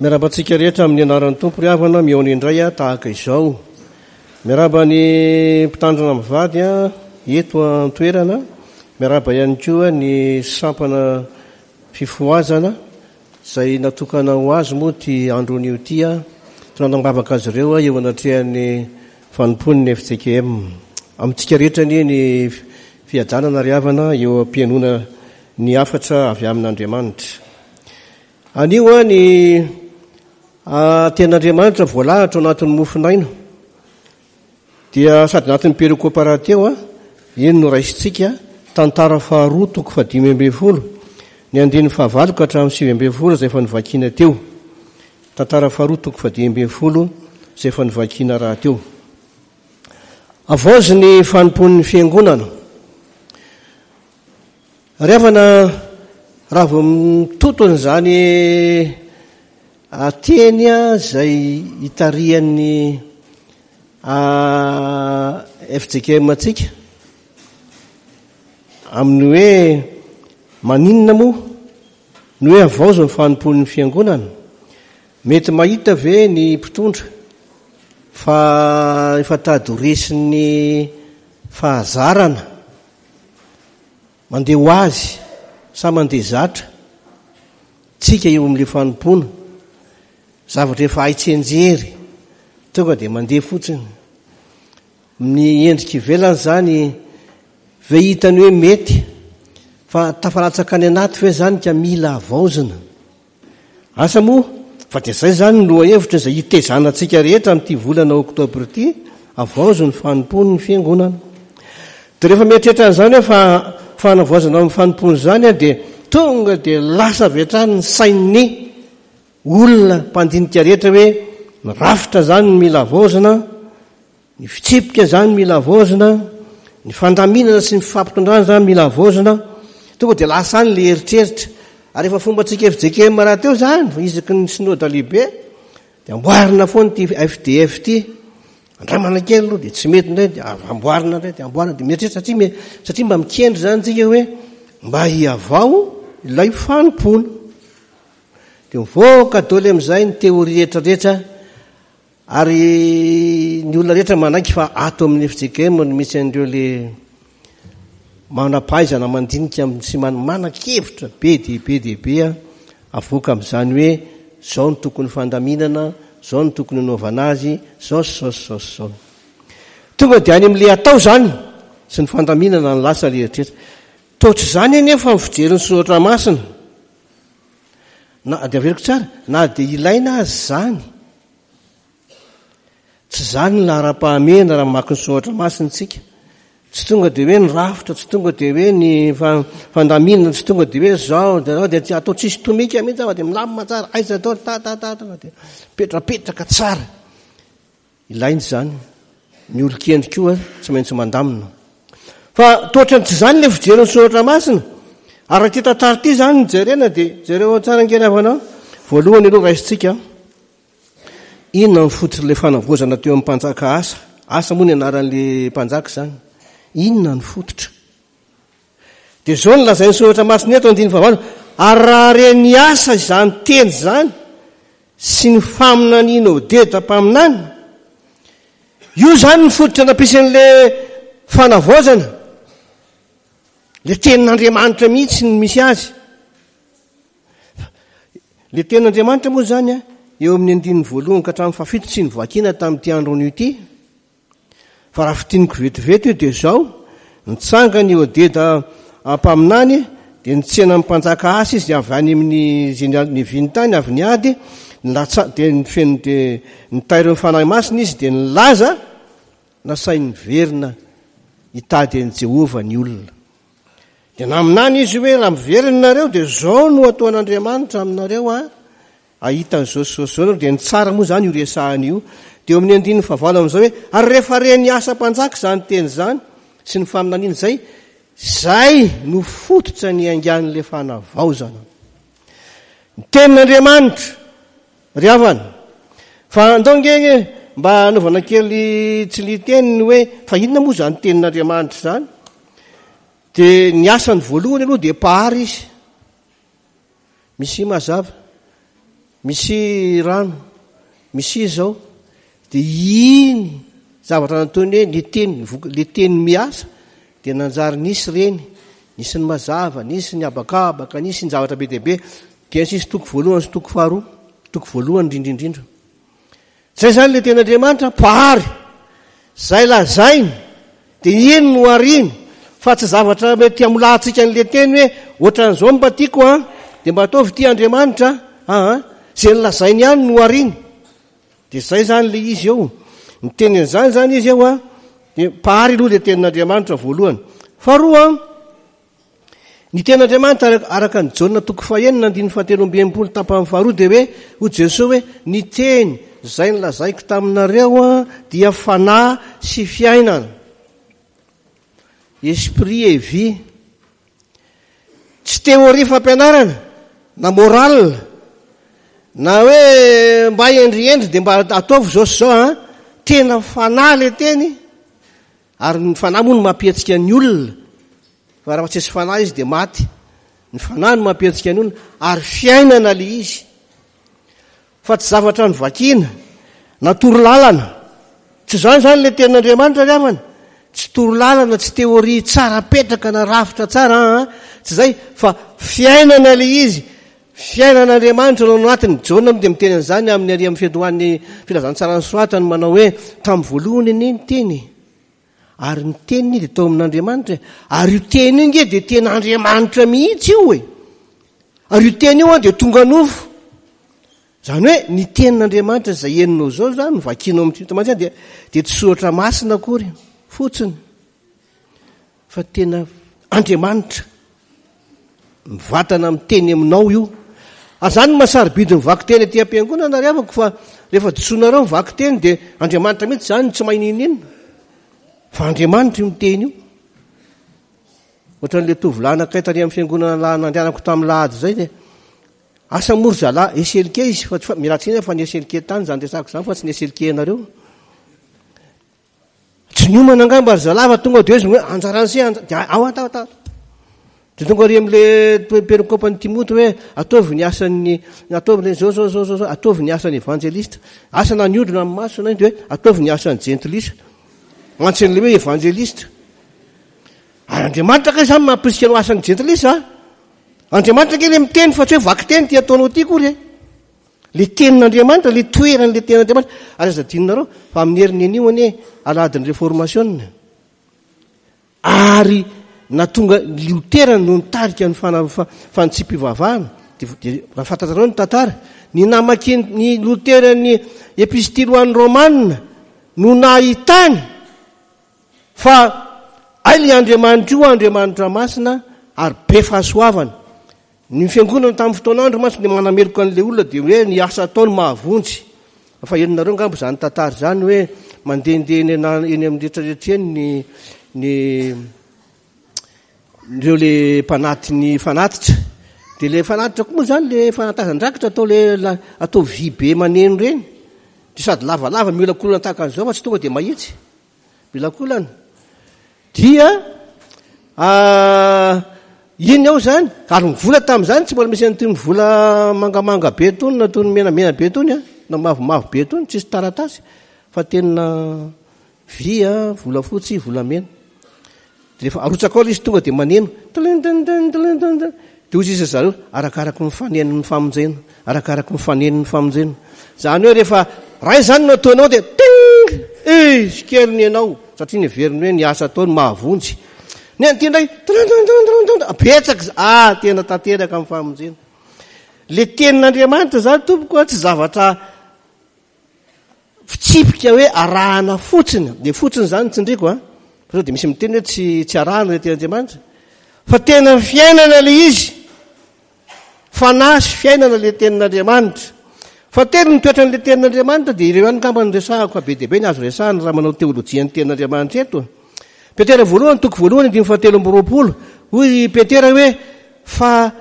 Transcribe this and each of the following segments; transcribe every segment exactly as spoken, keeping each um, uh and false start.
Miarahaba antsika rehetra amin'ny anaran'ny Tompo ry havana, mihaona indray aho tahaka izao. Miarahaba ny mpitandrina mivady eto an-toerana, miarahaba ihany koa ny sampana fifohazana izay natokana ho azy moa ity andro anio ity. Tonanam-bavaka azy ireo eo anatrehan'ny fanompoan'ny F J K M. Amintsika rehetra anie ny fiadanana ry havana eo am-pihainoana ny hafatra avy amin'Andriamanitra. Anio ny tenin'Andriamanitra voalahatra ao anatin'ny mofon'aina dia sady anatin'ny perikopa rahateo, iny no raisintsika, tantara faharoa toko fahadimy ambin'ny folo, ny andininy fahavalo ka hatramin'ny sivy ambin'ny folo izay efa novakiana teo. Tantara faharoa toko fahadimy ambin'ny folo izay efa novakiana rahateo. Avaozy ny fanompoan'ny fiangonana. Ry havana, raha vao mitoto an'izany teny izay hitarihan'ny F J K M antsika amin'ny hoe maninona moa ny hoe avaozy ny fanompoan'ny fiangonana, mety mahita ve ny mpitondra fa efa tady ho resin'ny fahazarana mandeha ho azy sa mandeha zatra tsika eo amin'ilay fanompoana, zavatra efa hay tsianjery tonga dia mandeha fotsiny. Ny endrika ivelany zany ve hitany hoe mety fa tafalatsaka any anaty ve zany ka mila avaozina? Asa moa fa dia zay zany ny lohahevitra izay hitezana antsika rehetra amin'ity volana oktobra ity, avaozy ny fanompoan'ny fiangonana. Dia rehefa mieritreritra an'izany hoe fa fanavaozana amin'ny fanompoana izany dia tonga dia lasa avy hatrany ny sain'ny olona mpandinika rehetra hoe ny rafitra zany no mila avaozina, ny fitsipika zany mila avaozina, ny fandaminana sy ny fifampitondrana zany mila avaozina. Tonga dia lasa any le eritreritra. Ary efa fombantsika F J K M rahateo zany, isaky ny synoda lehibe dia amboarina foana ity F D F ity. Andramana kely aloha dia tsy mety indray dia amboarina indray dia amboarina dia mieritreritra satria me-, satria mba mikendry zany tsika hoe mba hihavao ilay fanompoana. Dia mivoaka daholo amin'izay ny teoria rehetrarehetra ary ny olona rehetra manaiky fa ato amin'ny F J K M no misy an'ireo le manam-pahaizana mandinika sy man-, manan-kevitra be dia be dia be avoaka amin'izany hoe zao no tokony fandaminana, zao no tokony hanaovana azy, zao sy zao sy zao sy zao. Tonga dia any amin'ilay atao zany sy ny fandaminana ny lasa le eritreritra. Toa tsy izany anefa ny fijerin'ny soratra masina. Na dia averiko tsara, na dia ilaina azy zany, tsy zany ny laharam-pahamehana raha mamaky ny soratra masina isika. Tsy tonga dia hoe ny rafitra, tsy tonga dia hoe ny fa-, fandaminana, tsy tonga dia hoe zao, dia zao, dia tsy atao tsisy tomika mihitsy fa dia milamina tsara, aiza atao, ta, ta, ta, ta, dia mipetrapetraka tsara. Ilaina izany. Ny olon-kendry koa tsy maintsy mandamina. Fa toa tsy izany ilay fijerin'ny soratra masina. Ary raha ity tantara ity izany no jerena dia jereo tsara ange ry havana. Voalohany aloha raisintsika, inona ny fototr'ilay fanavaozana teo amin'ny mpanjaka Asa? Asa moa ny anaran'ilay mpanjaka izany. Inona ny fototra? Dia izao no lazain'ny soratra masina eto andininy fahavalo. Ary raha ren'ny Asa izany teny izany sy ny faminaniana Odeda mpaminany, io izany ny fototra nampiasan'ilay fanavaozana. Ilay tenin'Andriamanitra mihitsy no misy azy. Ilay tenin'Andriamanitra moa izany a, eo amin'ny andininy voalohany ka hatramin'ny fahafito tsy novakiana tamin'ity andro anio ity. Fa raha fintiniko vetivety io dia izao, nitsangana i Odeda mpaminany, dia nitsena ny mpanjaka Asa izy avy any amin'ny izay niaviany tany, avy niady, nilatsa-, dia nifeno, dia nitairo ny Fanahy Masina izy, dia nilaza nasainy niverina hitady an'i Jehovah ny olona. Dia naminany izy hoe raha miverina nareo dia izao no ataon'Andriamanitra aminareo a, ahita an'izao sy izao sy izao nareo. Dia nitsara moa izany io resahana io. Dia eo amin'ny andininy fahavalo amin'izao hoe ary rehefa ren'ny Asa mpanjaka izany teny izany sy ny faminaniana izay, izay no fototra niaingan'ilay fanavaozana. Ny tenin'Andriamanitra ry havana. Fa andao nge nge mba hanaovana kely tsy liteny ny hoe fa inona moa izany tenin'Andriamanitra izany? Dia ny asany voalohany aloha dia mpahary izy. Misy mazava. Misy rano, misy izao. Dia iny zavatra nataony hoe le teny, le teny miasa, dia nanjary nisy ireny. Nisy ny mazava, nisy ny habakabaka, nisy ny zavatra be dia be. Genesisy toko voalohany sy toko faharoa, toko voalohany indrindra indrindra. Zay zany le tenin'Andriamanitra mpahary. Zay lazainy dia iny no ariny, fa tsy zavatra mety hamolahantsika an'le teny hoe ohatran'izao mba tiako an, dia mba ataovy ity Andriamanitra an, zay nolazainy ihany no ariny. Dia zay zany le izy eo. Ny teny an'izany zany izy eo an, dia mpahary aloha le tenin'Andriamanitra voalohany. Faharoa an, ny tenin'Andriamanitra araka ny Jaona toko fahenina andininy fahatelo amby enimpolo tapany faharoa dia hoe hoy Jesoa hoe ny teny zay nolazaiko taminareo an dia fanahy sy fiainana. Esprit et vie. Tsy théorie fampianarana na morale na hoe mba hendrihendry dia mba ataovy zao sy zao an, tena fanahy le teny, ary ny fanahy moa no mampihetsika ny olona. Fa raha tsy misy fanahy izy dia maty. Ny fanahy no mampihetsika ny olona ary fiainana le izy. Fa tsy zavatra novakiana na torolalana. Tsy izany zany le tenin'Andriamanitra ry havana. Tsy torolalana, tsy théorie tsara petraka na rafitra tsara an, tsy zay fa fiainana le izy. Fiainan'Andriamanitra no anatiny. Jaona moa dia miteny an'izany amin'ny ary amin'ny fiandohan'ny filazantsara ny soratany manao hoe tamin'ny voalohany anie ny teny. Ary ny teniny dia tao amin'Andriamanitra. Ary io teny io nge dia tena Andriamanitra mihitsy io e. Ary io teny io an dia tonga nofo. Zany hoe ny tenin'Andriamanitra izay henonao izao zany no vakianao amin'ny Teny Masina dia, dia tsy soratra masina akory fotsiny fa tena Andriamanitra mivatana miteny aminao io. Ary zany no mahasarobidy ny vakiteny aty am-piangonana ry havako, fa rehefa disoinareo ny vakiteny dia Andriamanitra mihitsy zany tsy mahay n'inon'inona fa Andriamanitra io miteny io. Ohatran'ilay tovolahy anankiray tary amin'ny fiangonana lahy nandehanako tamin'ny lahady izay dia asa moa ry zalahy eselike izy fa tsy fa miala tsiny aho fa ny eselike tany izany resako izany fa tsy ny eselike anareo. Tsy niomana angamba ry zalahy fa tonga dia izy hoe anjaran'ny se anja-, dia ao atao atao. Dia tonga ary amin'ilay perikopan'i Timoty hoe ataovy ny asan'ny, ataovy ny zao, zao, zao, zao, zao, ataovy ny asan'ny evanjelista. Asa na niodina amin'ny maso na dia hoe ataovy ny asan'ny jentilisa. Mantsy an'ilay hoe evanjelista. Ary Andriamanitra kay izany mampirisika anao asan'ny jentilisa a? Andriamanitra kay le miteny fa tsy hoe vakiteny ty ataonao ty akory e. Le tenin'Andriamanitra, le toeran'le tenin'Andriamanitra. Ary aza adinonareo fa amin'ny herin'ny anio anie alahadin'ny reformation. Ary natonga Lotera no nitarika ny fana-, fa-, fanitsiam-pivavahana. Dia, dia raha fantatrareo ny tantara, ny namakian'ny Lotera ny epistily ho an'ny Romana no nahitany fa ay le Andriamanitra io Andriamanitra masina ary be fahasoavana. Ny fiangonana tamin'ny fotoan'andro mantsy dia manameloka an'ilay olona dia hoe ny asa ataony mahavonjy. Fa henonareo angamba izany tantara izany hoe mandehandeha eny ana-, eny amin'ny rehetrarehetra eny ny, ny ireo le mpanaty ny fanatitra. Dia le fanatitra koa moa izany le fanatazan-drakitra atao le la-, atao vy be maneno ireny. Dia sady lavalava miolakolana tahaka an'izao fa tsy tonga dia mahitsy. Miolakolana. Dia, ah, iny ao izany, ary ny vola tamin'izany tsy mbola misy an'itony vola mangamanga be itony na itony menamena be itony, ah, na mavomavo be itony, tsisy taratasy fa tena vy, ah, volafotsy, volamena. Dia rehefa arotsaka ao ilay izy tonga dia maneno. Tlin, tlin, tlin, tlin, tlin, tlin. Dia hoy izy zareo, arakaraky ny fanenon'ny famonjena, arakaraky ny fanenon'ny famonjena. Izany hoe rehefa ray izany no ataonao dia ting, izy kely ny anao, satria neveriny hoe ny asa ataony mahavonjy. Ny an'ity indray, tlin, tlin, tlin, tlin, tlin, betsaka izy, ah, tena tanteraka amin'ny famonjena. Le tenin'Andriamanitra izany tompoko tsy zavatra fitsipika hoe arahana fotsiny. De fotsiny izany tsindriko a. Fa sao dia misy miteny hoe tsy, tsy arahana le tenin'Andriamanitra. Fa tena fiainana le izy. Fanahy sy fiainana le tenin'Andriamanitra. Fa telo ny toetran'le tenin'Andriamanitra dia ireo ihany angamba no resahako fa be dia be ny azo resahana raha manao teolojia ny tenin'Andriamanitra eto. Petera voalohany, toko voalohany, andininy fahatelo amby roapolo. Hoy Petera hoe fa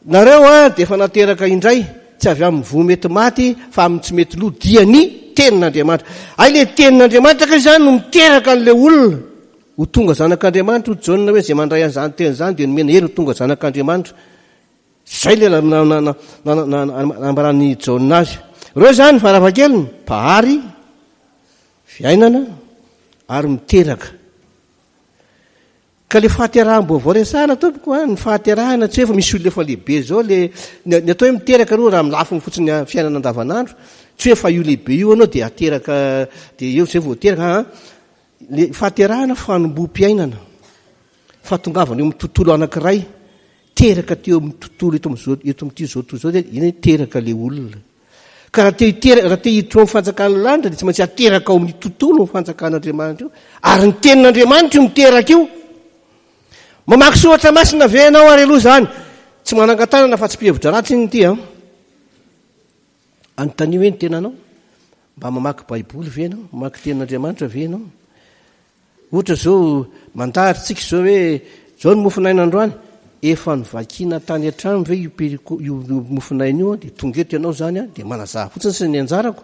nareo a dia efa nateraka indray, tsy avy amin'ny voa mety maty fa amin'ny tsy mety lo, dia ny tenin'Andriamanitra. Ay le tenin'Andriamanitra kay izany no miteraka an'ilay olona ho tonga zanak'Andriamanitra. Hoy Jaona hoe izay mandray an'izany teny izany dia nomena hery ho tonga zanak'Andriamanitra. Zay le nambaran'i Jaona azy. Ireo zany farafahakeliny mpahary, fiainana ary miteraka. Ka le fahateraham-baovao resahana tompoko a, ny fahaterahana tsy hoe efa misy olona efa lehibe zao le ny atao hoe miteraka aloha raha amin'ny lafiny fotsiny fiainana andavanandro, tsy hoe efa io lehibe io anao dia ateraka dia eo zay vao teraka a. Le fahaterahana fanomboam-piainana, fahatongavana eo amin'ny tontolo anankiray, teraka teo amin'ny tontolo eto amin'izao, eto amin'ity zao tontolo izao dia iny hoe teraka le olona. Ka raha te hitera-, raha te hiditra ao amin'ny fanjakan'ny lanitra dia tsy maintsy ateraka ao amin'ny tontolo ny fanjakan'Andriamanitra io, ary ny tenin'Andriamanitra io miteraka io. Mamaky soratra masina ve ianao ary aloha izany? Tsy manangan-tanana fa tsy mpihevitra ratsy iny ity an. Anontanio hoe ny tenanao, mba mamaky Baiboly ve ianao? Mamaky tenin'Andriamanitra ve ianao? Ohatra izao, mandahatra tsika izao hoe izao ny mofonaina androany, efa novakiana tany an-trano ve io periko, io, io mofonaina io an? Dia tonga eto ianao izany an, dia manazava fotsiny sy ny anjarako.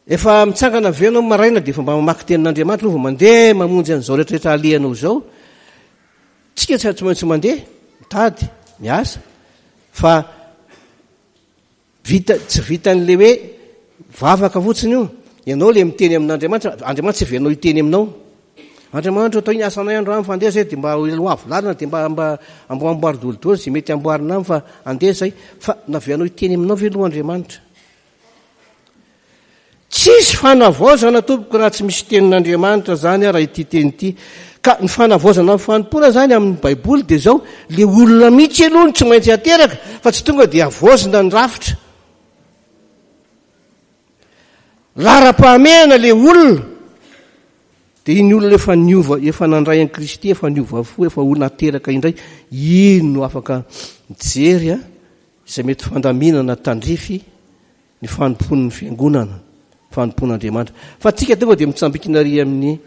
Efa mitsangana ve ianao maraina dia efa mba mamaky tenin'Andriamanitra aloha vao mandeha mamonjy an'izao rehetrarehetra alehanao izao? Tsika tsy, tsy maintsy mandeha, mitady, miasa, fa vita, tsy vitan'le hoe vavaka fotsiny io. Ianao le miteny amin'Andriamanitra, Andriamanitra tsy avelanao hiteny aminao. Andriamanitra, atao iny asanay androany fa andeha zay dia mba ho avy lalana dia mba, mba amboamboary dolidoly zay mety amboarina aminy fa andeha zay. Fa navelanao hiteny aminao ve aloha Andriamanitra? Tsisy fanavaozana tompoko raha tsy misy tenin'Andriamanitra zany raha ity teny ity. Ka ny fanavaozana ny fanompoana zany amin'ny Baiboly dia zao, le olona mihitsy aloha no tsy maintsy ateraka fa tsy tonga dia havaozina ny rafitra. Laharam-pahamehana le olona, dia iny olona efa niova, efa nandray an'i Kristy, efa niova fo, efa ho nateraka indray, iny no afaka mijery a, izay mety fandaminana tandrify ny fanompoan'ny fiangonana, fanompoan'Andriamanitra. Fa tsika tonga dia mitsambikina ary amin'ny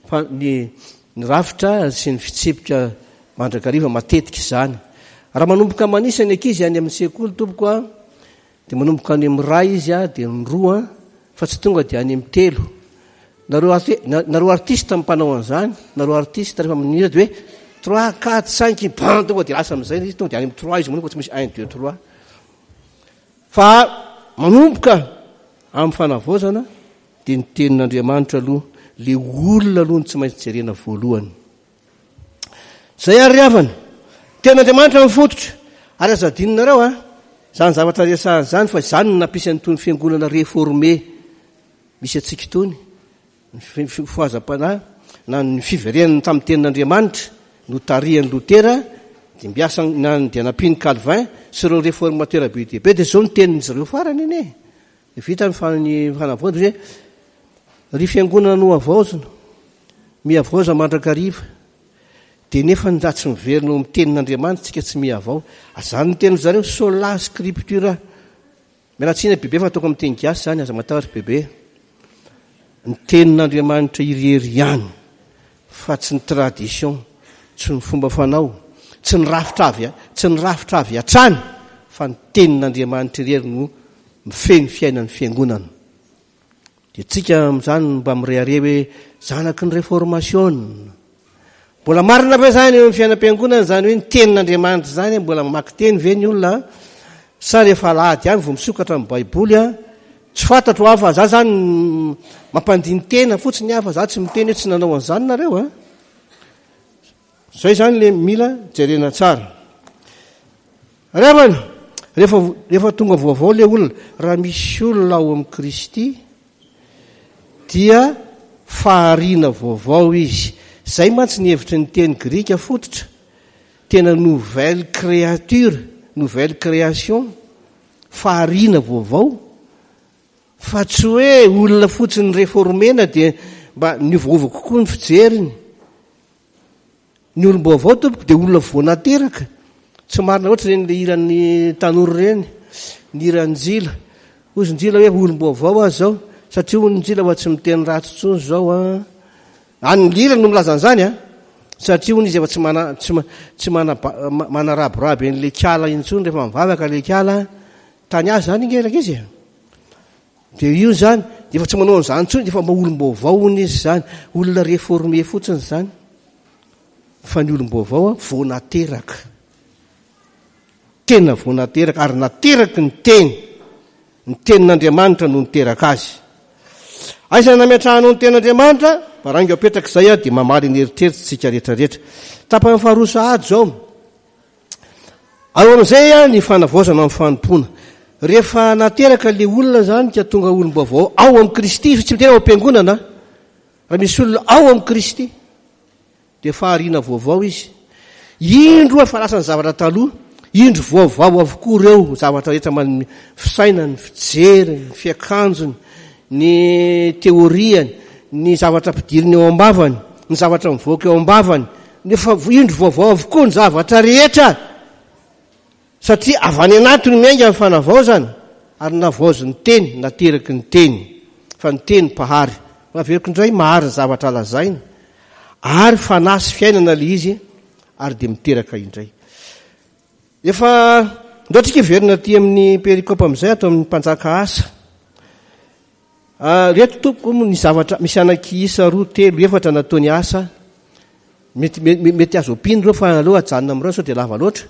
fa-, ny, ny rafitra sy ny fitsipika mandrakariva matetika izany. Raha manomboka manisa ny ankizy any amin'ny sekoly tompoko a, dia manomboka any amin'ny iray izy a, dia ny roa, fa tsy tonga dia any amin'ny telo. Nareo arti-, na-, nareo artiste mpanao an'izany, nareo artiste rehefa manira dia hoe trois, quatre, cinq, bam, tonga dia lasa amin'izay izy, tonga dia any amin'ny trois izy manomboka, tsy misy un, deux, trois. Fa manomboka amin'ny fanavaozana dia ny tenin'Andriamanitra aloha, le olona aloha no tsy maintsy jerena voalohany. Zay ary havana, tenin'Andriamanitra mifototra. Ary aza adinonareo a, zany zavatra resahana zany, fa zany no nampisy an'itony fiangonana réformé misy antsika itony, ny fi-, fifohazam-panahy na ny fiverenana tamin'ny tenin'Andriamanitra notarihan'i Lotera, dia mbiasa na ny dia nampian'i Calvin sy ireo réformateur be dia be, dia zao ny tenin'izy ireo farany iny e. Dia vita ny fa-, ny fanavaozana hoe ry fiangonana no havaozina, mihavaoza mandrakariva. Dia nefa ny raha tsy miverina eo amin'ny tenin'Andriamanitra tsika tsy mihavao. Azany ny tenin'ny zareo, sola scriptura. Miala tsiny bebe fa ataoko amin'ny teny gasy zany, aza matahotra bebe. Ny tenin'Andriamanitra irery ihany, fa tsy ny tradition, tsy ny fomba fanao, tsy ny rafitra avy, tsy ny rafitra avy hatrany, fa ny tenin'Andriamanitra irery no mifehy ny fiainan'ny fiangonana. Dia tsika amin'izany mba mirehareha hoe zanaky ny réformation. Mbola marina ve zany eo amin'ny fiainam-piangonana zany hoe ny tenin'Andriamanitra zany, mbola mamaky teny ve ny olona? Sa rehefa alahady ihany vao misokatra ny Baiboly a? Tsy fantatro aho fa za zany mampandiny tena fotsiny aho, fa za tsy miteny hoe tsy nanao an'izany nareo a. Zay zany le mila jerena tsara. Ry havana, rehefa, rehefa tonga vaovao le olona, raha misy olona ao amin'i Kristy dia fahariana vaovao izy. Zay mantsy ny hevitry ny teny grika fototra, tena nouvelle créature, nouvelle création, fahariana vaovao, fa tsy hoe olona fotsiny réformena dia mba niovaova kokoa ny fijeriny. Ny olom-baovao tompoko dia olona vao nateraka. Tsy marina loatra ireny le hiran'ny tanora ireny, ny hiran'i Njila. Hoy Njila hoe olom-baovao aho izao, satria hoy Njila fa tsy miteny ratsy intsony izao a. Any ny hira no milaza an'izany a, satria hoy izy efa tsy mana-, tsy ma-, tsy mana-, ma-, manaraboraby an'ilay kala intsony rehefa mivavaka ilay kala. Tany azy zany inge ilay izy e. Dia io zany, dia efa tsy manao an'izany intsony, dia efa mba olom-baovao hono izy zany, olona réformé fotsiny zany. Fa ny olom-baovao a, vao nateraka. Tena vao nateraka, ary nateraky ny teny. Ny tenin'Andriamanitra no niteraka azy. Aiza nametrahanao ny tenin'Andriamanitra? Baraingo apetraka izay a, dia mamaly ny eritreritra tsika rehetrarehetra. Tapany faharoa sahady izao. Ao amin'izay a ny fanavaozana amin'ny fanompoana. Rehefa nateraka le olona zany ka tonga olom-baovao ao amin'i Kristy, tsy miteny ao am-piangonana, raha misy olona ao amin'i Kristy dia fahariana vaovao izy. Indro efa lasa ny zavatra taloha, indro vaovao avokoa ireo zavatra rehetra, man- fisainany, ny fijeriny, ny fiakanjony, ny teoriany, ny zavatra ampidiriny eo am-bavany, ny zavatra mivoaka eo am-bavany. Nefa indro vaovao avokoa ny zavatra rehetra. Satria avy any anatiny miainga ny fanavaozana, ary navaozin'ny teny, nateraky ny teny. Fa ny teny mpahary. Averiko indray, mahary ny zavatra lazainy. Ary fanahy sy fiainana le izy, ary dia miteraka indray. Efa ndao tsika hiverina aty amin'ny perikopa amin'izay, ato amin'ny mpanjaka Asa. Ah, reto tompoko ny zavatra misy anankiisa roa, telo, efatra nataony Asa. Mety, mety, mety azo ampiana ireo, fa aleo ajanona amin'ireo sao dia lava loatra.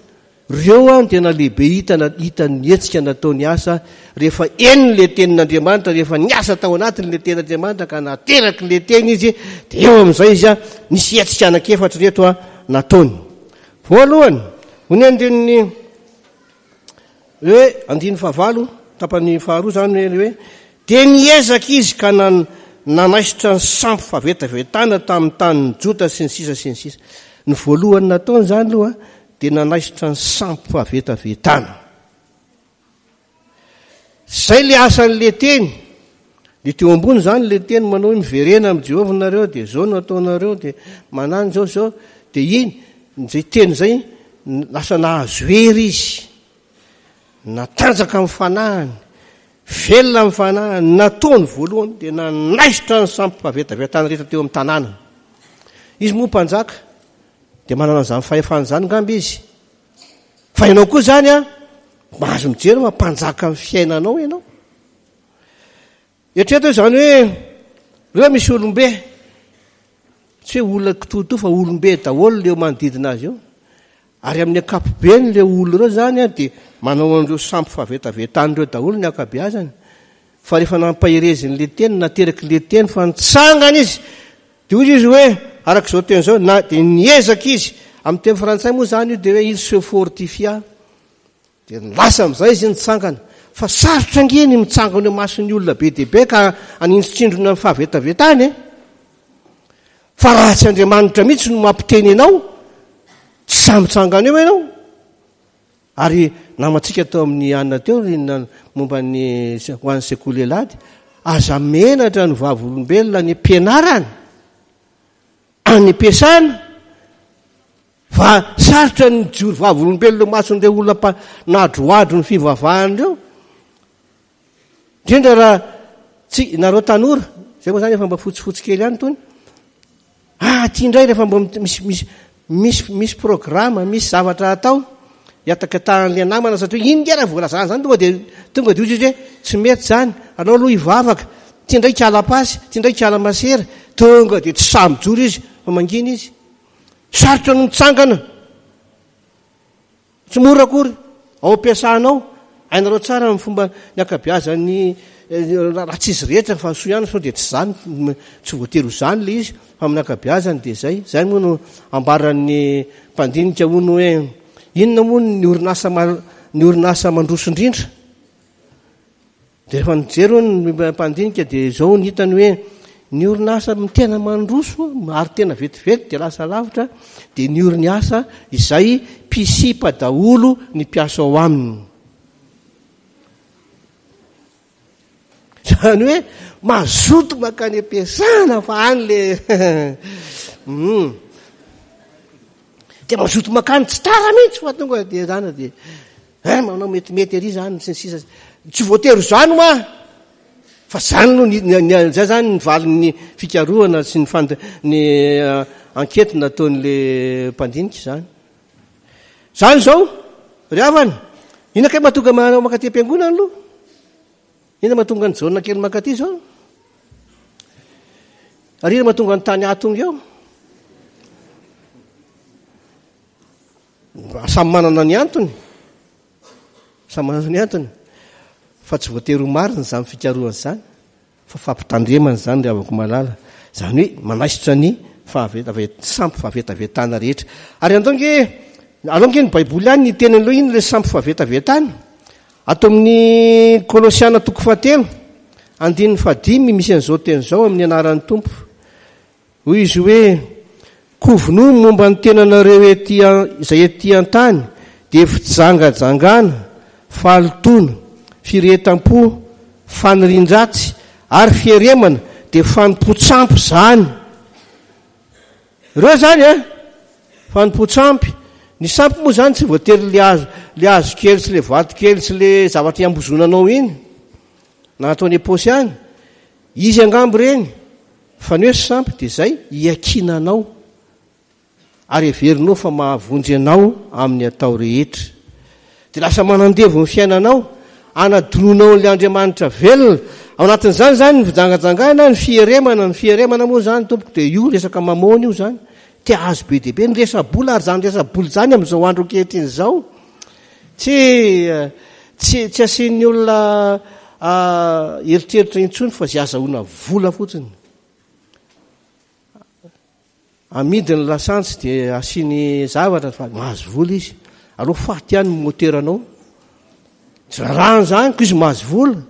Ireo a no tena lehibe hita na-, hita ny hetsika nataony Asa rehefa eny le tenin'Andriamanitra, rehefa niasa tao anatiny le tenin'Andriamanitra ka nateraky le teny izy, dia eo amin'izay izy a nisy hetsika anankiefatra reto a nataony. Voalohany, hoy ny andininy hoe andininy fahavalo, tapany faharoa zany hoe, hoe dia niezaka izy ka nan-, nanaisotra ny sampy fahavetavetana tamin'ny tanin'ny Joda sy ny sisa sy ny sisa. Ny voalohany nataony zany aloha dia nanaisotra ny sampy fahavetavetana. Zay le asan'le teny. Le teo ambony zany le teny manao hoe miverena amin'i Jehovah nareo, dia zao no ataonareo, dia manano zao zao, dia iny zay teny zay lasa nahazo hery izy. Natanjaka amin'ny fanahiny, velona amin'ny fanahiny, nataony voalohany dia nanaisotra ny sampy fahavetavetana rehetra teo amin'ny tanàna. Izy moa mpanjaka dia manana an'izany fahefana izany angamba izy. Fa ianao koa zany a, mahazo mijery fa mpanjaka amin'ny fiainanao ianao. Eritrereto izany hoe reo misy olombe, tsy hoe olona kitoatoa fa olombe daholo leo manodidina azy eo. Ary amin'ny ankapobeny le olona ireo zany a dia manao an'ireo sampy fahavetavetana ireo daholo ny ankabeazany. Fa rehefa nampaherezin'le teny, nateraky le teny fa nitsangana izy, dia hoy izy hoe araka izao teny izao, na dia niezaka izy. Amin'ny teny frantsay moa zany io dia hoe il se fortifia. Dia lasa amin'izay izy nitsangana. Fa sarotra ange ny mitsangana eo mason'ny olona be dia be ka anintsindrona ny fahavetavetany e. Fa raha tsy Andriamanitra mihitsy no mampiteny anao, tsy sahy mitsangana eo ianao. Ary namantsika tao amin'ny Anna teo ry na-, momba ny se-, ho an'ny sekoly alahady, aza menatra ny vavolombelona any am-pianarana, any am-piasana, fa sarotra ny mijoro vavolombelona eo mason'ireo olona mpa-, nadroadro ny fivavahana ireo. Indrindra raha tsy nareo tanora, zay moa zany efa mba fotsifotsy kely ihany tony. Ah, ty indray rehefa mba misy, misy, misy, misy programme, misy zavatra atao, hiatakatahan'ilay namana satria iny nge raha voalazana zany, tonga dia, tonga dia hoy izy hoe tsy mety zany, aleo aloha hivavaka, ty indray kiala pasy, ty indray kiala masera, tonga dia tsy sahy mijoro izy fa mangina izy. Sarotra no mitsangana, tsy mora akory ao am-piasanao. Hainareo tsara ny fomba ny ankabeazan'ny, eh, raha tsy izy rehetra fa soa ihany, sao dia tsy zany, tsy voatery ho zany le izy, fa amin'ny ankabeazany dia zay. Zay moa no ambaran'ny mpandinika hono hoe inona moa ny orinasa ma-, ny orinasa mandroso indrindra. Dia rehefa nijery hono ny mpandinika dia zao ny hitany hoe ny orinasa tena mandroso ary tena vetivety dia lasa lavitra dia ny orinasa izay mpisipa daholo ny mpiasa ao aminy. Zany hoe mazoto mankany am-piasana fa any le Hmm. Dia mazoto mankany tsy tara mihitsy fa tonga dia zany dia, eh, manao metimety ery zany sy ny sisa. Tsy voatery zany hoa. Fa zany no ny, ny, ny, zay zany ny valin'ny fikarohana sy ny fand-, ny, eh, enquête nataon'le mpandinika zany. Zany zao, ry havana, inona kay mahatonga manao mankaty am-piangonana aloha? Inona mahatonga ny Jaona kely mankaty zao? Ary inona mahatonga ny tany ahy tonga eo? Samy manana ny antony. Samy manana ny antony. Fa tsy voatery ho marina izany fikarohana izany, fa fampitandremana izany ry havako malala. Izany hoe manaisotra ny fahavetavet-, sampy fahavetavetana rehetra. Ary andao nge, alao nge ny Baiboly ihany ny teny aloha iny ilay sampy fahavetavetana. Ato amin'ny Kolosiana toko fahatelo, andininy fahadimy misy an'izao teny izao amin'ny anaran'ny Tompo. Hoy izy hoe, Koa vonoa ny momba ny tenanareo ety an-, izay ety an-tany, dia fijangajangana, fahalotoana, firehetam-po, fanirian-dratsy, ary fieremana, dia fanompoan-tsampy izany. Ireo izany an, fanompoan-tsampy. Ny sampy moa izany tsy voatery le hazo, le hazo kely sy le vato kely sy le zavatra iambozonanao iny, na ataony am-paosy any. Izy angamba ireny. Fa ny hoe sampy dia izay iankinanao ary heverinao fa mahavonjy anao amin'ny atao rehetra. Dia lasa manandevo ny fiainanao, anadinoanao an'ilay Andriamanitra velona. Ao anatin'izany izany ny fijangajangana, ny fieremana, ny fieremana moa izany tompoko dia io resaka mamôna io izany. Te hahazo be dia be ny resa-bola, ary izany resa-bola izany amin'izao andro ankehitriny izao tsy, tsy, tsy asian'ny olona eritreritra intsony fa izay azahoana vola fotsiny. Amidy ny lasantsy dia asiany zavatra fa mahazo vola izy. Aleo faty ihany ny moteranao. Tsy rarahany izany ko izy mahazo vola.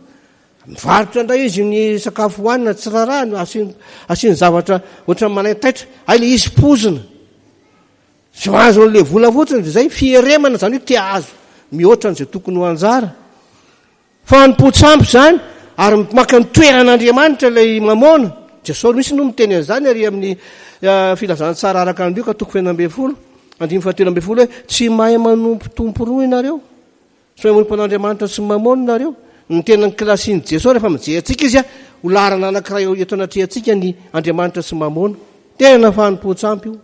Mivarotra indray izy ny sakafo hohanina, tsy rarahany, asiany, asiany zavatra ohatran'ny manaintaitra. Hay le izy pozina. Tsy mahazo an'ilay vola fotsiny dia izay fieremana, izany hoe te hahazo mihoatra an'izay tokony ho anjara. Fanompoan-tsampy izany, ary maka ny toeran'Andriamanitra ilay mamôna. Jesosy mihitsy no miteny an'izany ary amin'ny filazantsara araka an'i Lioka toko fahenina ambin'ny folo, andininy fahatelo ambin'ny folo hoe tsy mahay manompo tompo roa ianareo. Tsy mahay manompo an'Andriamanitra sy mamôna ianareo. Ny tena kilasin'i Jesosy rehefa mijery antsika izy, ho laharana anankiray eto anatrehantsika ny Andriamanitra sy mamôna. Tena fanompoan-tsampy io.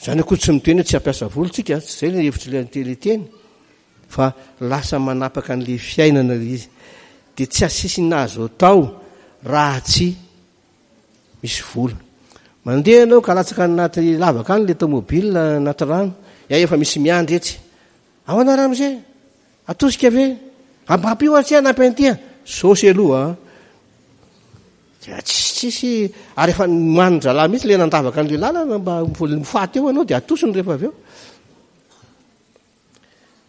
Izany akory tsy miteny hoe tsy hampiasa vola tsika, tsy izay ilay hevitr'ilay ilay teny, fa lasa manapaka an'ilay fiainana ilay izy. Dia tsy asisina azo atao raha tsy misy vola. Mandeha ianao ka latsaka any anaty lavaka any ilay tomobile anaty rano, ya efa misy miandry etsy. Ahoana ramose? Atosika ve? Ampampio aho tsy hanampy an'ity a. Saosy aloha a. Dia tsisy, tsisy, ary efa nomanin-drahalahy mihitsy ilay nandavaka an'ilay lalana mba ho faty eo ianao dia atosiny rehefa avy eo.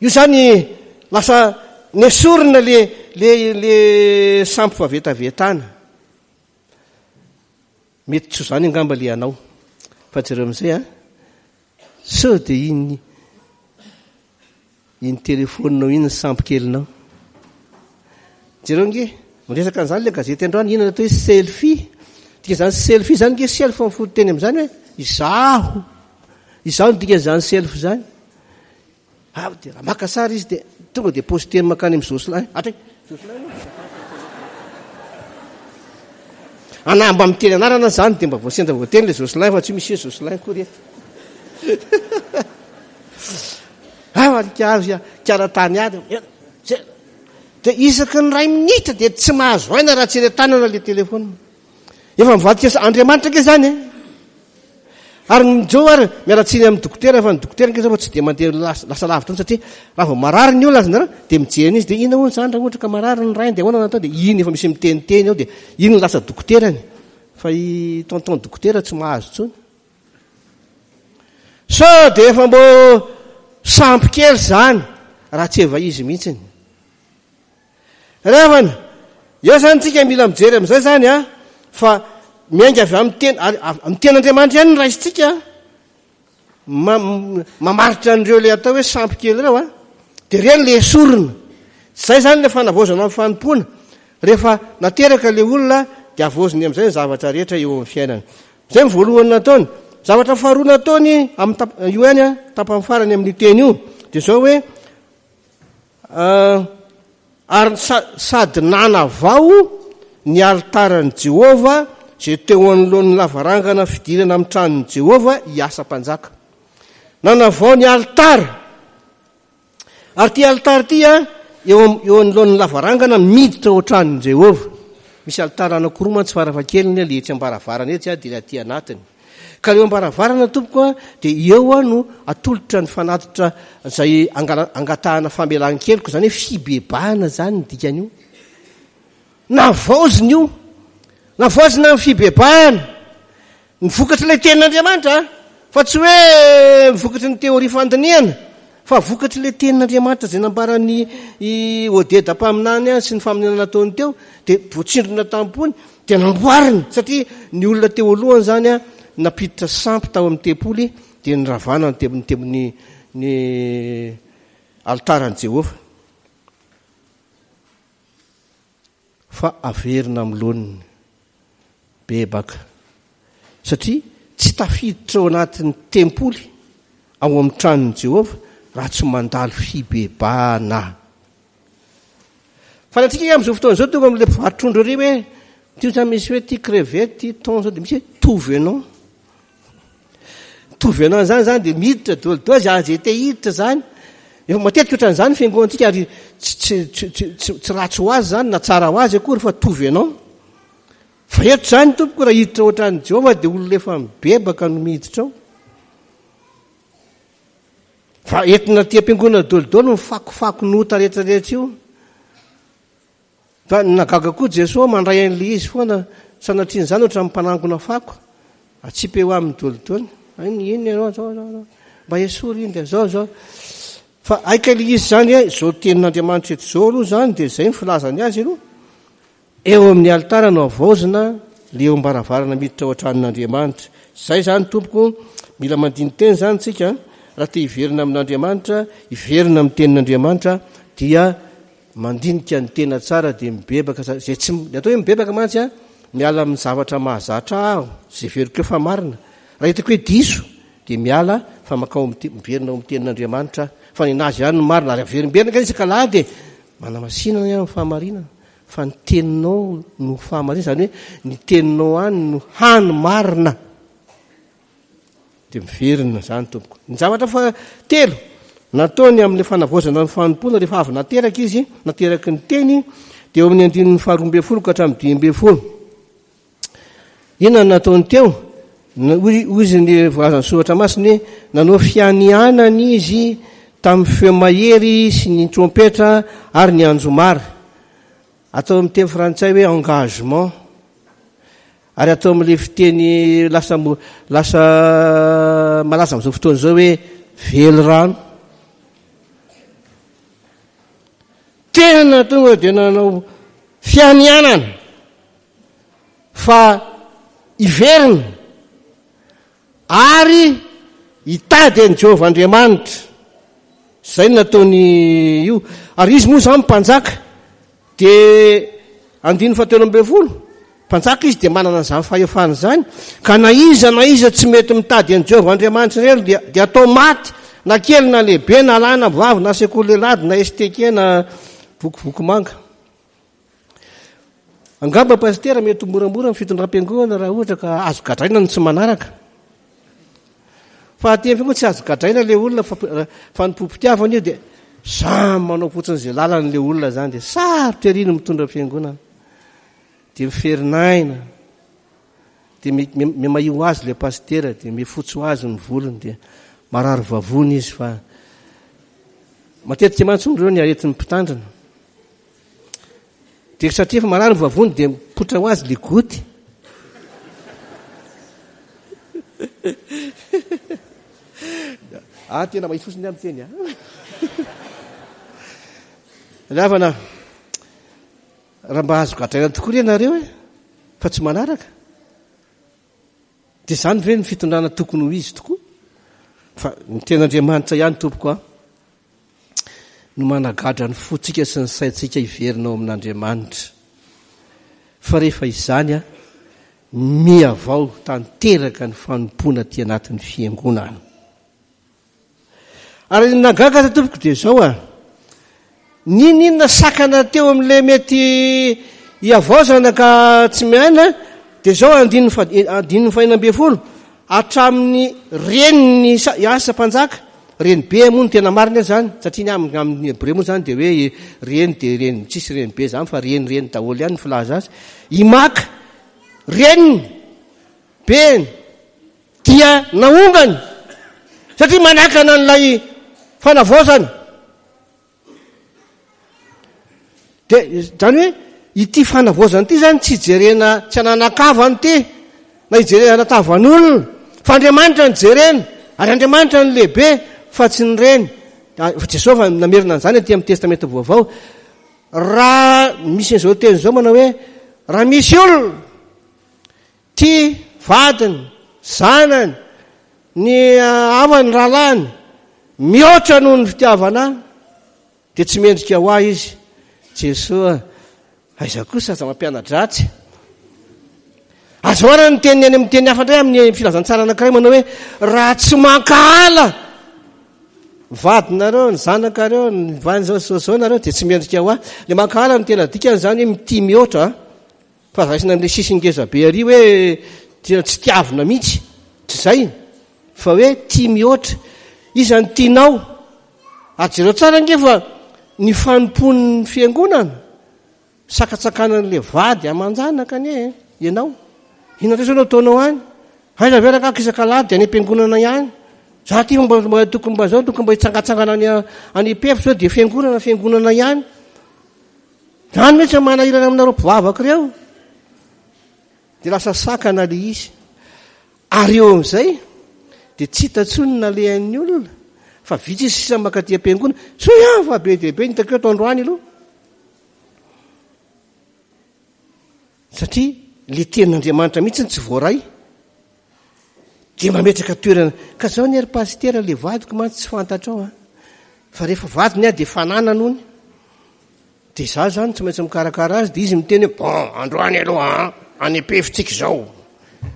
Io izany lasa nesorina le, le, le sampy fahavetavetana. Mety tsy ho izany angamba le anao. Fa jereo amin'izay a. Sao dia iny Iny telefaoninao iny ny sampy kelinao. Jereo nge, miresaka an'izany ilay gazety androany, inona atao hoe selfie? Dikan'izany selfie izany nge, self ny fototeny amin'izany hoe izaho. Izaho no dikan'izany self izany. Ah, dia raha maka sary izy dia tonga dia posteny mankany amin'ny Jocelyn. Hatray, Jocelyn aloha. Ana mba miteny anarana izany dia mba voasendra voateny ilay Jocelyn fa tsy misy hoe Jocelyn akory eto. Karatany ady. Dia isaky ny iray minitra dia tsy mahazo aina raha tsy eny an-tanana ilay telefona. Efa mivadika Andriamanitra ange izany e. Ary ny Joe ary miala tsiny amin'ny dokotera fa ny dokotera ange zao fa tsy dia mandeha lasa lavitra satria raha vao marary ny olona azonareo dia mijery an'izy dia inona hono izany raha ohatra ka marary ny rainy dia ahoana no atao dia iny efa misy miteniteny ao dia iny no lasa dokoterany fa i tonton dokotera tsy mahazo intsony. Sao dia efa mbô sampy kely izany raha tsy eva izy mihitsiny. Ry havana, eo izany tsika mila mijery amin'izay izany a, fa miainga avy amin'ny teny, ary amin'ny tenin'Andriamanitra ihany no raisintsika mamaritra an'ireo ilay atao hoe sampy kely ireo a, dia ireny ilay esorina. Izay izany ilay fanavaozana amin'ny fanompoana. Rehefa nateraka ilay olona dia havaoziny amin'izay ny zavatra rehetra eo amin'ny fiainany. Izay ny voalohany nataony. Zavatra faharoa nataony amin'ny tap-, io ihany a, tapany farany amin'io teny io, dia izao hoe, ary sa-, sady nanavao ny alitaran'i Jehovah izay teo anoloan'ny lavarangana fidirana amin'ny tranon'i Jehovah i Asa mpanjaka. Nanavao ny alitara. Ary ity alitara ity a, eo am-, eo anoloan'ny lavarangana miditra ao an-tranon'i Jehovah. Misy alitara anankiroa mantsy farafahakeliny, ilay etsy am-baravarana etsy dia ilay aty anatiny. Ka eo am-baravarana tompoko a, dia eo a no atolotra ny fanatitra izay angala-, angatahana famelan-keloka, izany hoe fibebahana izany ny dikan'io. Navaozina io, navaozina ny fibebahana, ny vokatr'ilay tenin'Andriamanitra, fa tsy hoe vokatry ny teoria fandinihana, fa vokatr'ilay tenin'Andriamanitra izay nambaran'ny i Odeda mpaminany sy ny faminaniana nataony teo, dia voatsindrona tampony, dia namboarina, satria ny olona teo alohany izany a, nampiditra sampy tao amin'ny tempoly, dia niravana ny tem-, ny tem-, ny, ny altaran'i Jehovah. Fa averina amin'ny laoniny, bebaka, satria tsy tafiditra ao anatin'ny tempoly ao amin'ny tranon'i Jehovah raha tsy mandalo fibebahana. Fa ny antsika amin'izao fotoana izao tonga amin'ilay mpivarotrondro ery hoe ty zany misy hoe ty crevette, ty thon zao, dia misy hoe tout venant. Tout venant zany zany dia miditra daholo daholo zay aza te hiditra zany. Efa matetika ohatran'izany ny fiangonantsika, ary tsy, tsy, tsy, tsy, tsy, tsy ratsy ho azy zany na tsara ho azy akory, fa tout venant. Fa eto zany tompoko raha hiditra ohatran'i Jehovah dia olona efa mibebaka no miditra ao. Fa entina aty am-piangonana daholo daholo ny fakofako nota rehetrarehetra io. Fa nagaga koa Jesoa mandray an'ilay izy foana, sanatrian'izany ohatran'ny mpanangona fako, atsipy eo aminy daholo daholo. Ay, ny inona ianao, zao, zao, zao. Mba esory iny dia zao, zao. Fa aika ilay izy zany, eh, zao tenin'Andriamanitra eto zao aloha zany, dia zay ny filazany azy aloha. Eo amin'ny alitara no havaozina, le eo am-baravarana miditra ao an-tranon'Andriamanitra. Zay zany tompoko, mila mandini-teny zany tsika, raha te hiverina amin'Andriamanitra, hiverina amin'ny tenin'Andriamanitra, dia mandinika ny tena tsara dia mibebaka. Zay tsy, ny atao hoe mibebaka mantsy a, miala amin'ny zavatra mahazatra aho, zay heveriko hoe fa marina. Raha hitako hoe diso, dia miala fa makao amin'ny te-, miverina ao amin'ny tenin'Andriamanitra, fa ny anazy ihany no marina. Ary averimberina ka isaka alahady e, manamasina ny amin'ny fahamarinana, fa ny teninao no fahamarinana, izany hoe ny teninao any no hany marina. Dia miverina izany tompoko. Ny zavatra fa telo nataony amin'ny fanavaozana ny fanompoana rehefa avy nateraka izy, nateraky ny teny, dia eo amin'ny andininy faharoa ambin'ny folo ka hatramin'ny dimy ambin'ny folo. Inona no nataony teo? Hoy, hoy izy ny voalazan'ny soratra masina hoe nanao fianianana izy tamin'ny feo mahery sy ny trompetra ary ny anjomara. Atao amin'ny teny frantsay hoe engagement. Ary atao amin'ilay fiteny lasa mo-, lasa malaza amin'izao fotoana izao hoe velirano. Tena tonga dia nanao fianianana fa hiverina ary hitady an'i Jehovah Andriamanitra. Izay no nataony io. Ary izy moa izany mpanjaka, dia andininy fahatelo ambin'ny folo, mpanjaka izy dia manana an'izany fahefana izany, ka na iza na iza tsy mety mitady an'i Jehovah Andriamanitra ireny dia, dia atao maty, na kely na lehibe, na lahy na vavy, na sekoly lehilahy, na S T K, na vokovoko manga. Angamba pasitera mety ho moramora ny fitondram-piangonana raha ohatra ka azo gadraina ny tsy manaraka. Fa aty amin'ny fiangonana tsy azo gadraina ilay olona, fa, fa ny pompitiavana io dia samy manao fotsiny izay lalany ilay olona izany, dia sarotra ery ny mitondra fiangonana. Dia miferinaina, dia mi-, mi-, mimahio ho azy ilay pasitera, dia mifotsy ho azy ny volony, dia marary vavony izy, fa matetika mantsy ireo ny aretin'ny mpitandrina. Dia satria efa marary ny vavony dia mipoitra ho azy le goty. Ah, tena mahitsy fotsiny aho miteny, ah. Ry havana, raha mba azo gadraina tokoa re nareo e, fa tsy manaraka. Dia izany ve ny fitondrana tokony ho izy tokoa? Fa ny ten'Andriamanitra ihany tompoko a, no managadra ny fontsika sy ny saintsika hiverina ao amin'Andriamanitra. Fa rehefa izany a, mihavao tanteraka ny fanompoana aty anatin'ny fiangonana. Ary ny nagaga aza tompoko dia izao a, n'inon'inona sakana teo amin'ilay mety hihavaozana ka tsy miaina, dia izao andininy fa-, andininy fahenina ambin'ny folo, hatramin'ny reniny sa-, Asa mpanjaka, reny be moa no tena marina izany, satria ny amin'ny, amin'ny hebreo moa izany dia hoe reny dia reny, tsisy reny be izany fa reny, reny daholo ihany ny filaza azy. Imaka, reniny, beny, dia naongany satria manakana an'ilay fanavaozana. Dia izany hoe ity fanavaozana ity zany tsy jerena, tsy ananakavana ity na hijerena tavan'olona, fa Andriamanitra no jerena, ary Andriamanitra no lehibe fa tsy ny reny. Fa Jesosy fa namerina an'izany aty amin'ny Testamenta Vaovao. Raha misy an'izao teny izao manao hoe raha misy olona tia vadiny, zanany, ny havany, rahalahiny mihoatra noho ny fitiavana ahy, dia tsy mendrika ho ahy izy. Jesoa, aiza kosa aza mampiana-dratsy. Azo ara ny teny any amin'ny teny hafa indray amin'ny filazantsara anankiray manao hoe raha tsy mankahala vadinareo, ny zanakareo, ny vany zao zao zao nareo, dia tsy mendrika ho ahy. Le mankahala no tena dikany zany hoe mitia mihoatra, fa raisina amin'ilay sisiny ngeza be ary hoe tena tsy tiavina mihitsy, tsy zay, fa hoe tia mihoatra. Iza no tianao? Ary jereo tsara ange fa ny fanompoan'ny fiangonana sakatsakanan'ilay vady aman-janaka anie ianao. Inona indray zao no ataonao any? Aiza ve raha isaka alahady dia any am-piangonana ihany? Za ty mba, mba tokony mba zao, tokony mba hitsangatsangana any, any am-pefy zao dia fiangonana, fiangonana ihany. Zany mihitsy no manahirana aminareo mpivavaka ireo. Dia lasa sakana le izy. Ary eo amin'izay dia tsy hita intsony ny nalehan'ny olona, fa vitsy izy sisa mankaty am-piangonana. Soa ihany fa be dia be ny hitako eto androany aloha. Satria le tenin'Andriamanitra mihitsy tsy voaray. Dia mametraka toerana. Ka zao ny ry pasitera, le vadiko mantsy tsy fantatrao a. Fa rehefa vadiny aho dia fananana ony. Dia za zany tsy maintsy mikarakara azy, dia izy miteny hoe bon, androany aloha a, any am-pefitsika izao.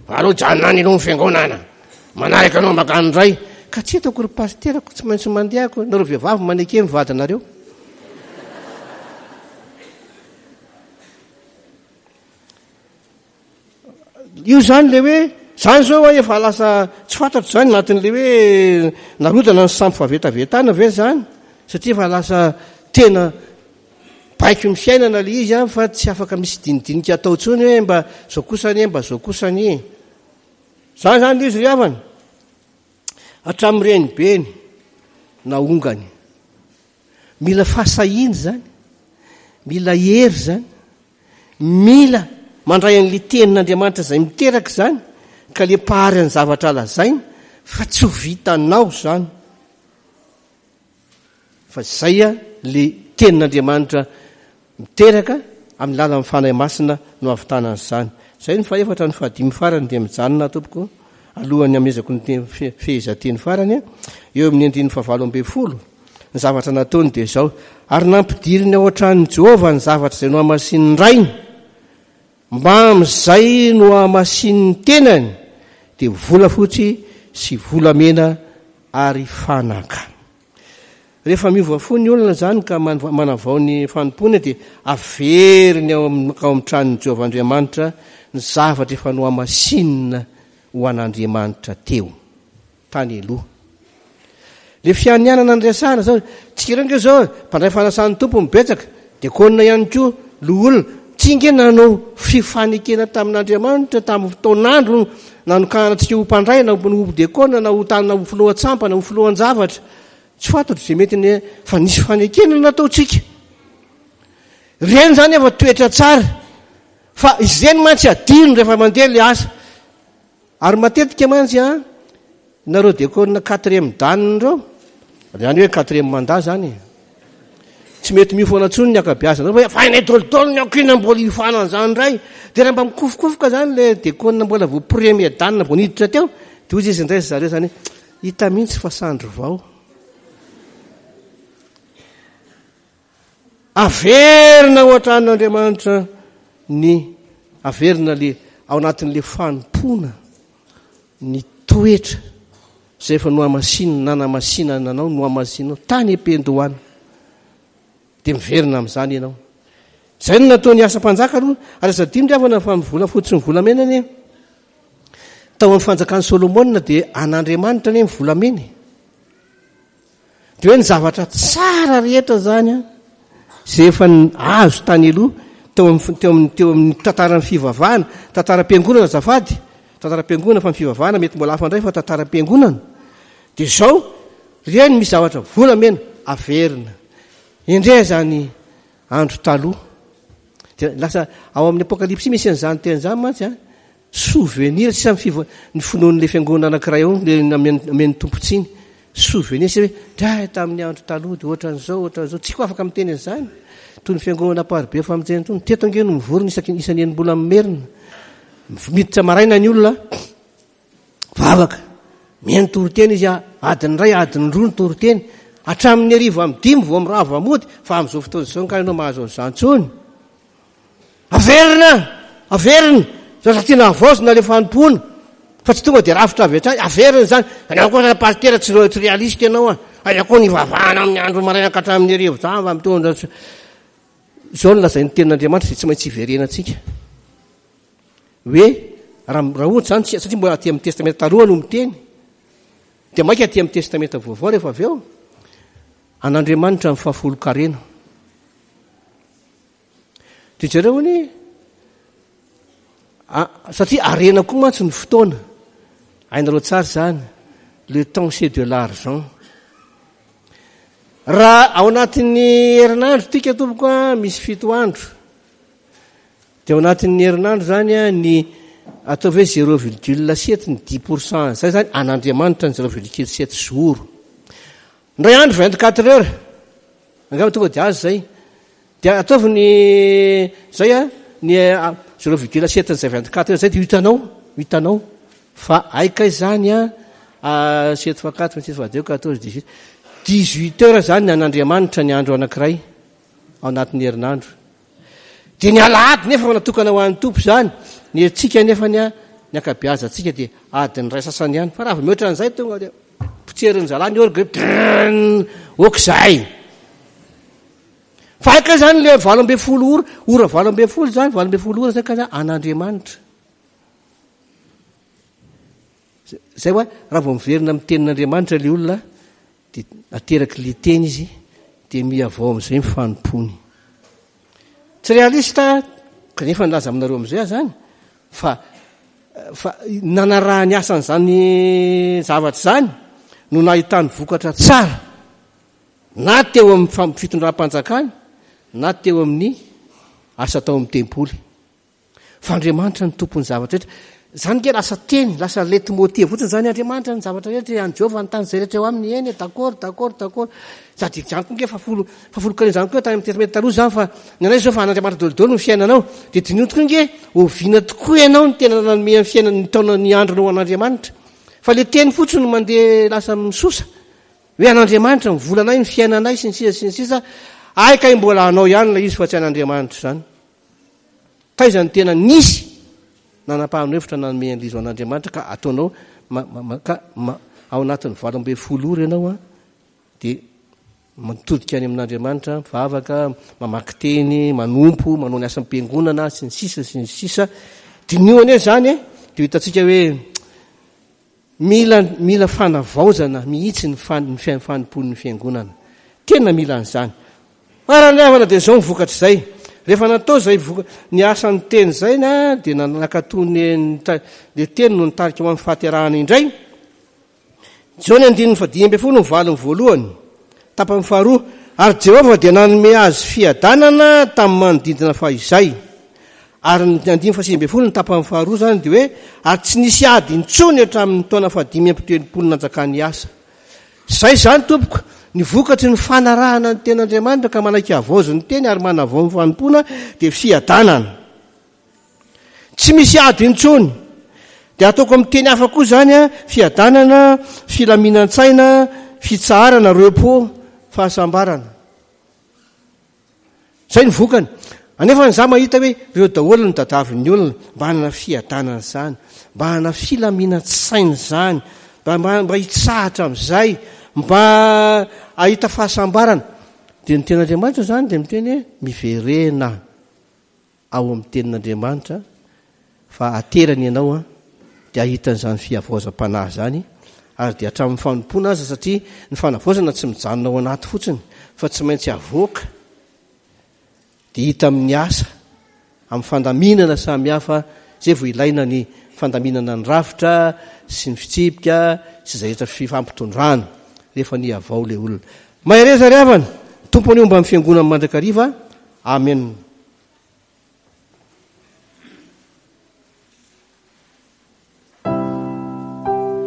Aloha janona any aloha ny fiangonana. Manaraka anao makany indray. Ka tsy hitako ry pasiterako, tsy maintsy mandeha ako. Nareo vehivavy maneke ny vadinareo. Io zany le hoe, zany zao efa lasa tsy fantatro zany anatin'le hoe narodana ny sampy fahavetavetana ve zany, satria efa lasa tena baiko ny fiainana le izy a, fa tsy afaka misy dinidinika atao intsony hoe mba zao kosa anie, mba zao kosa anie. Zany zany le izy ry havana. Hatramin'ny renibeny naongany. Mila fahasahiana zany, mila hery zany, mila mandray an'ilay tenin'Andriamanitra izay miteraka izany, ka le mpahary ny zavatra lazainy fa tsy ho vitanao zany. Fa izay a le tenin'Andriamanitra miteraka amin'ny lalan'ny Fanahy Masina no ahavitana an'izany. Izay ny fahefatra, ny fahadimy farany dia mijanona tompoko alohan'ny hamezako ny teny fe-, fehezanteny farany eo amin'ny andininy fahavalo ambin'ny folo. Ny zavatra nataony dia izao: ary nampidiriny ao an-tranon'i Jehovah ny zavatra izay nohamasinin'ny rainy, mba amin'izay nohamasinin'ny tenany, dia volafotsy sy volamena ary fanaka. Rehefa miova fo ny olona zany ka man-, manavao ny fanompoana, dia averiny ao amin'ny, ao amin'ny tranon'i Jehovah Andriamanitra ny zavatra efa nohamasinina ho an'Andriamanitra teo tany aloha. Le fianianana ny resahana zao, tsika ireo nge zao mpandray fanasan'ny Tompo mibetsaka, diakona ihany koa, loholona, tsy nge nanao fifanekena tamin'Andriamanitra tamin'ny fotoan'andro nanokanana antsika ho mpandray, na ho diakona, na ho tany, na ho filohan-tsampana, na ho filohan-javatra. Tsy fantatro izay mety ny fa nisy fanekena nataontsika. Ireny zany efa toetra tsara, fa izeny mantsy adino rehefa mandeha le asa. Ary matetika mantsy a, nareo diakona quatrième dan ireo, zany hoe quatrième mandat zany, tsy mety miofana intsony ny ankabeazana, fa efa hainay dolidoly ny ankina mbola hiofana an'izany indray. Dia raha mba mikofokofoka zany le diakona mbola vao premier dan vao niditra teo, dia hoy izy indray zareo zany, hita mihitsy fa sandry vao. Averina ao an-tranon'Andriamanitra ny averina le ao anatin'le fanompoana ny toetra izay efa nohamasinina, nanamasinana anao, nohamasinao tany am-piandohana. Dia miverina amin'izany ianao. Izay no nataon'ny asa-mpanjaka aloha. Ary aza adino ry havana fa ny volafotsy sy ny volamena anie tao amin'ny fanjakan'i Solomona dia an'Andriamanitra anie ny volamena. Dia hoe ny zavatra tsara rehetra zany a, izay efa azo tany aloha teo amin'ny, teo amin'ny, teo amin'ny tantaran'ny fivavahana, tantaram-piangonana azafady, Tantaram-piangonana fa ny fivavahana mety mbola hafa indray fa tantaram-piangonana. Dia izao, ireny misy zavatra volamena averina. Endrey izany andro taloha. Dia lasa ao amin'ny Apokalypsy misy an'izany teny izany mantsy an. Souvenir sisa ny fivo-, ny finoan'ilay fiangonana anankiray ao, ilay namen-, namen'ny Tompo tsiny. Souvenir sisa hoe, dray tamin'ny andro taloha dia ohatran'izao, ohatran'izao. Tsy koa afaka miteny an'izany. Toy ny fiangonana Amparibe fa miteny itony. Teto ange no mivory ny isaky, isan'ny enim-bola merina. Miditra maraina ny olona, vavaka. Mihaino toriteny izy, adiny iray, adiny roa ny toriteny. Hatramin'ny hariva amin'ny dimy vao mirava mody, fa amin'izao fotoana izao nga ianao mahazo an'izany intsony. Averina, averina. Zaza tiana havaozina ilay fanompoana, fa tsy tonga dia rafitra avy hatrany. Averina izany. Ianao koa zany pasitera tsy re-, tsy réaliste ianao a. Aiza koa ny hivavahana amin'ny andro maraina ka hatramin'ny hariva izany fa mitondra tsy-. Izao no lazain'ny tenin'Andriamanitra izay tsy maintsy hiverenantsika. Hoe raha, raha ohatra izany tsy, satria mbola aty amin'ny testamenta taloha no miteny, dia maika aty amin'ny testamenta vaovao rehefa avy eo, an'Andriamanitra ny fahafolon-karena. Dia jereo anie, a, satria harena koa mantsy ny fotoana. Hainareo tsara izany, le temps c'est de l'argent. Raha ao anatin'ny herinandro tika tompoko a, misy fito andro. Dia ao anatin'ny herinandro zany a, ny atao hoe zéro virgule sept ny dix pour cent zay zany an'Andriamanitra ny zéro virgule sept jour. Indray andro vingt-quatre heures. Angamba tonga dia azo zay. Dia ataovy ny zay a, ny zéro virgule sept ny zay vingt-quatre heures zay dia hitanao, hitanao fa ay kay zany a, a, sept fois quatre, sept fois deux, quatorze, dix-huit. Dix-huit heures zany ny an'Andriamanitra ny andro anankiray ao anatin'ny herinandro. Dia ny alahady nefa fa natokana ho an'ny Tompo zany, ny antsika nefa ny a, ny ankabeazantsika dia adiny iray sasany ihany. Fa raha vao mihoatra an'izay tonga dia potserin'ny zalahy ny orga, drrrn, ok zay. Fa hay kay zany le valo ambin'ny folo ora, ora valo ambin'ny folo zany, valo ambin'ny folo ora zay ka zany an'Andriamanitra. Zay hoa, raha vao miverina amin'ny tenin'Andriamanitra le olona, dia ateraky le teny izy, dia mihavao amin'izay ny fanompony. Tsy réaliste, kanefa nilaza aminareo amin'izay aho zany, fa, fa nanarahany asan'izany zavatra izany no nahitany vokatra tsara, na teo amin'ny fam-, fitondram-panjakana, na teo amin'ny asa tao amin'ny tempoly. Fa Andriamanitra no tompon'ny zavatra rehetra. Zany nge lasa teny, lasa leitmotiv fotsiny zany, Andriamanitra ny zavatra rehetra, an'i Jehovah ny tany izay rehetra eo aminy, eny, d'accord, d'accord, d'accord. Sady izany koa nge fa folo, fa folo kare izany koa tany amin'ny testamenta taloha izany, fa ny anay izao fa an'Andriamanitra daholo daholo ny fiainanao. Dia diniho tokoa nge, oviana tokoa ianao no tena nanome ny fiainana, ny taona, ny andronao ho an'Andriamanitra. Fa le teny fotsiny no mandeha lasa misosa. Hoe an'Andriamanitra ny volanay, ny fiainanay, sy ny sisa, sy ny sisa. Ay kay mbola anao ihany ilay izy fa tsy an'Andriamanitra izany. Taiza ny tena nisy nanapahana hevitra nanome an'ilay izy ho an'Andriamanitra ka ataonao ma-, ma-, ma-, ka ma-, ao anatin'ny valo ambin'ny folo ora ianao a, dia mitodika any amin'Andriamanitra, mivavaka, mamaky teny, manompo, manao ny asam-piangonana, sy ny sisa, sy ny sisa. Diniho anie izany e, dia hitantsika hoe mila, mila fanavaozana mihitsy ny fan-, ny fian-, fanompoan'ny fiangonana. Tena mila an'izany. Ary ny havana dia izao ny vokatr'izay. Rehefa natao izay voka-, ny asan'ny teny izay na, dia nanakato ny, ny ta-, ny teny no nitarika ho amin'ny fahaterahana indray. Jaona andininy fahadimy ambin'ny folo ny valiny voalohany, tapany faharoa. Ary Jehovah dia nanome azy fiadanana tamin'ny manodidina fahizay. Ary ny andininy fahasivy ambin'ny folo ny tapany faharoa izany dia hoe, ary tsy nisy ady intsony hatramin'ny taona fahadimy amby telopolo nanjakan'i Asa. Izay izany tompoko, ny vokatry ny fanarahana ny tenin'Andriamanitra ka manaiky havaozy ny teny ary manavao ny fanompoana dia fiadanana. Tsy misy ady intsony. Dia ataoko amin'ny teny hafa koa izany a, fiadanana, filaminan-tsaina, fitsaharana, repos, fahasambarana. Izay ny vokany. Anefa ny za mahita hoe ireo daholo ny tadiavin'ny olona mba hanana fiadanana izany, mba hanana filaminan-tsaina izany, mba, mba, mba hitsahatra amin'izay, mba hahita fahasambarana. Dia ny tenin'Andriamanitra izany dia miteny hoe miverena ao amin'ny tenin'Andriamanitra fa aterany ianao a, dia hahita an'izany fihavaozam-panahy izany, ary dia hatramin'ny fanompoana aza, satria ny fanavaozana tsy mijanona ao anaty fotsiny fa tsy maintsy avoaka. Dia hita amin'ny asa, amin'ny fandaminana samihafa, izay vao ilaina ny fandaminana ny rafitra sy ny fitsipika sy izay rehetra fifampitondrana rehefa nihavao ilay olona. Mahereza ry havana, Tompo anie homba ny fiangonany mandrakariva. Amen.